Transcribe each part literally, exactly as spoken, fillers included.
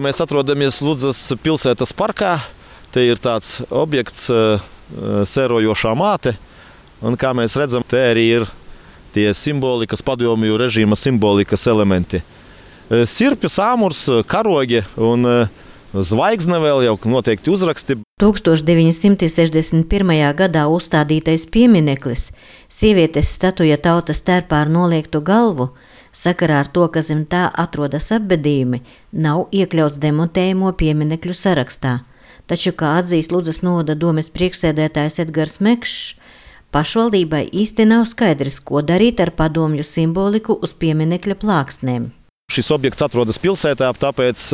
Mēs atrodamies Ludzas pilsētas parkā. Te ir tāds objekts, sērojošā māte. Un kā mēs redzam, te arī ir tie simbolikas, padomju režīma simbolikas elementi. Sirpju sāmurs, karogi un zvaigzne vēl jau noteikti uzraksti. tūkstoš deviņi simti sešdesmit pirmajā gadā uzstādītais piemineklis, sievietes statuja tautas tērpā ar noliektu galvu, sakarā ar to, ka zem tā atrodas apbedījumi, nav iekļauts demontējumu pieminekļu sarakstā. Taču, kā atzīst Ludzas novada domes priekšsēdētājs Edgars Mekšs, pašvaldībai īsti nav skaidrs, ko darīt ar padomju simboliku uz pieminekļa plāksnēm. Šis objekts atrodas pilsētā, tāpēc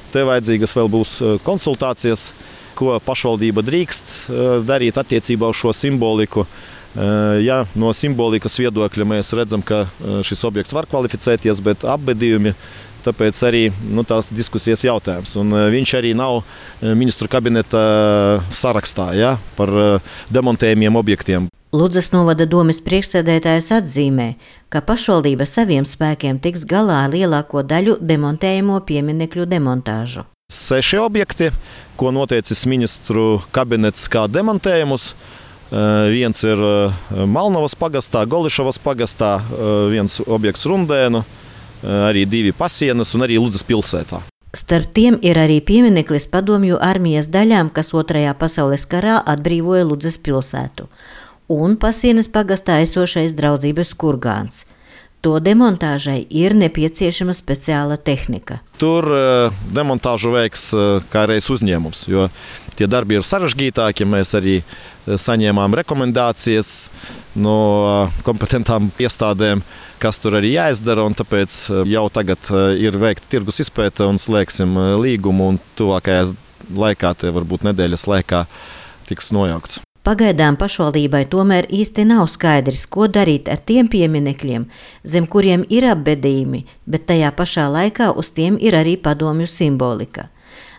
te vajadzīgas vēl būs konsultācijas, ko pašvaldība drīkst darīt attiecībā uz šo simboliku. Ja no simbolikas viedokļa mēs redzam, ka šis objekts var kvalificēties, bet apbedījumi, tāpēc arī nu, tās diskusijas jautājums. Un viņš arī nav ministru kabineta sarakstā, ja, par demontējumiem objektiem. Ludzas novada domes priekšsēdētājs atzīmē, ka pašvaldība saviem spēkiem tiks galā ar lielāko daļu demontējumo pieminekļu demontāžu. Seši objekti, ko noteicis ministru kabinets kā demontējumus. Viens ir Malnavas pagastā, Golišavas pagastā, viens objekts Rundēnu, arī divi Pasienas un arī Ludzas pilsētā. Starp tiem ir arī piemineklis padomju armijas daļām, kas otrajā pasaules karā atbrīvoja Ludzas pilsētu, un Pasienas pagastā esošais draudzības kurgāns. To demontāžai ir nepieciešama speciāla tehnika. Tur demontāžu veiks kā reiz uzņēmums, jo tie darbi ir sarežģītāki. Mēs arī saņēmām rekomendācijas no kompetentām iestādēm, kas tur arī jāizdara, un tāpēc jau tagad ir veikta tirgus izpēte un slēgsim līgumu, un tuvākajā laikā, te varbūt nedēļas laikā, tiks nojaukts. Pagaidām pašvaldībai tomēr īsti nav skaidrs, ko darīt ar tiem pieminekļiem, zem kuriem ir apbedījumi, bet tajā pašā laikā uz tiem ir arī padomju simbolika.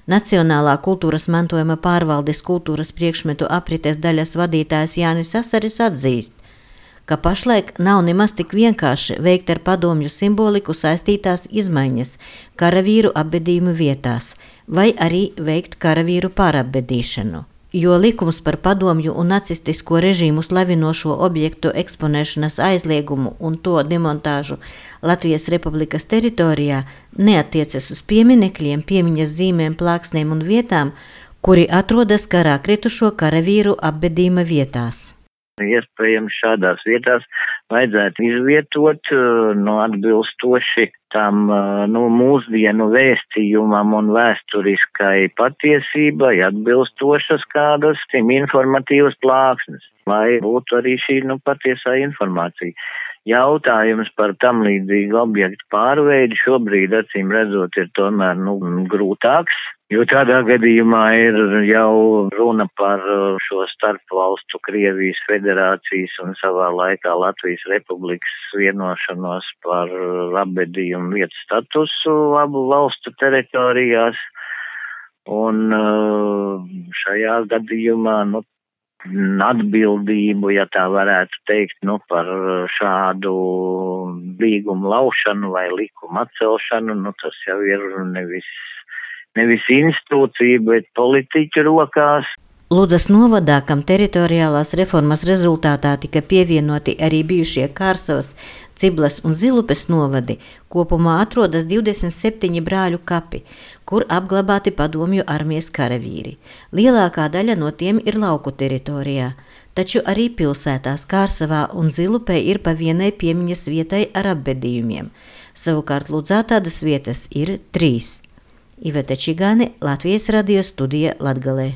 Nacionālā kultūras mantojuma pārvaldes kultūras priekšmetu aprites daļas vadītājs Jānis Asaris atzīst, ka pašlaik nav nemaz tik vienkārši veikt ar padomju simboliku saistītās izmaiņas karavīru apbedījumu vietās vai arī veikt karavīru pārapbedīšanu. Jo likums par padomju un nacistisko režīmu slavinošo objektu eksponēšanas aizliegumu un to demontāžu Latvijas Republikas teritorijā neatiecas uz pieminekļiem, piemiņas zīmēm, plāksnēm un vietām, kuri atrodas karā kritušo karavīru apbedījuma vietās. Iespējams, šādās vietās vajadzētu izvietot no atbilstoši tam nu, mūsdienu vēstījumam un vēsturiskai patiesībai atbilstošas kādas tim informatīvas plāksnes, lai būtu arī šī nu, patiesā informācija. Jautājums par tam līdzīgu objektu pārveidi šobrīd, acīm redzot, ir tomēr nu, grūtāks, jo tādā gadījumā ir jau runa par šo starpvalstu Krievijas federācijas un savā laikā Latvijas Republikas vienošanos par apbedījumu vietu statusu abu valstu teritorijās. Un šajā gadījumā nu, atbildību, ja tā varētu teikt, nu, par šādu līgumu laušanu vai likumu atcelšanu, nu, tas jau ir nevis, nevis institūcija, bet politiķu rokās. Ludzas novadā, kam teritoriālās reformas rezultātā tika pievienoti arī bijušie Kārsavas, Ciblas un Zilupes novadi, kopumā atrodas divdesmit septiņi brāļu kapi, kur apglabāti padomju armijas karavīri. Lielākā daļa no tiem ir lauku teritorijā, taču arī pilsētās Kārsavā un Zilupē ir pa vienai piemiņas vietai ar apbedījumiem. Savukārt Ludzā tādas vietas ir trīs. Iveta Čigāne, Latvijas radio studija Latgalē.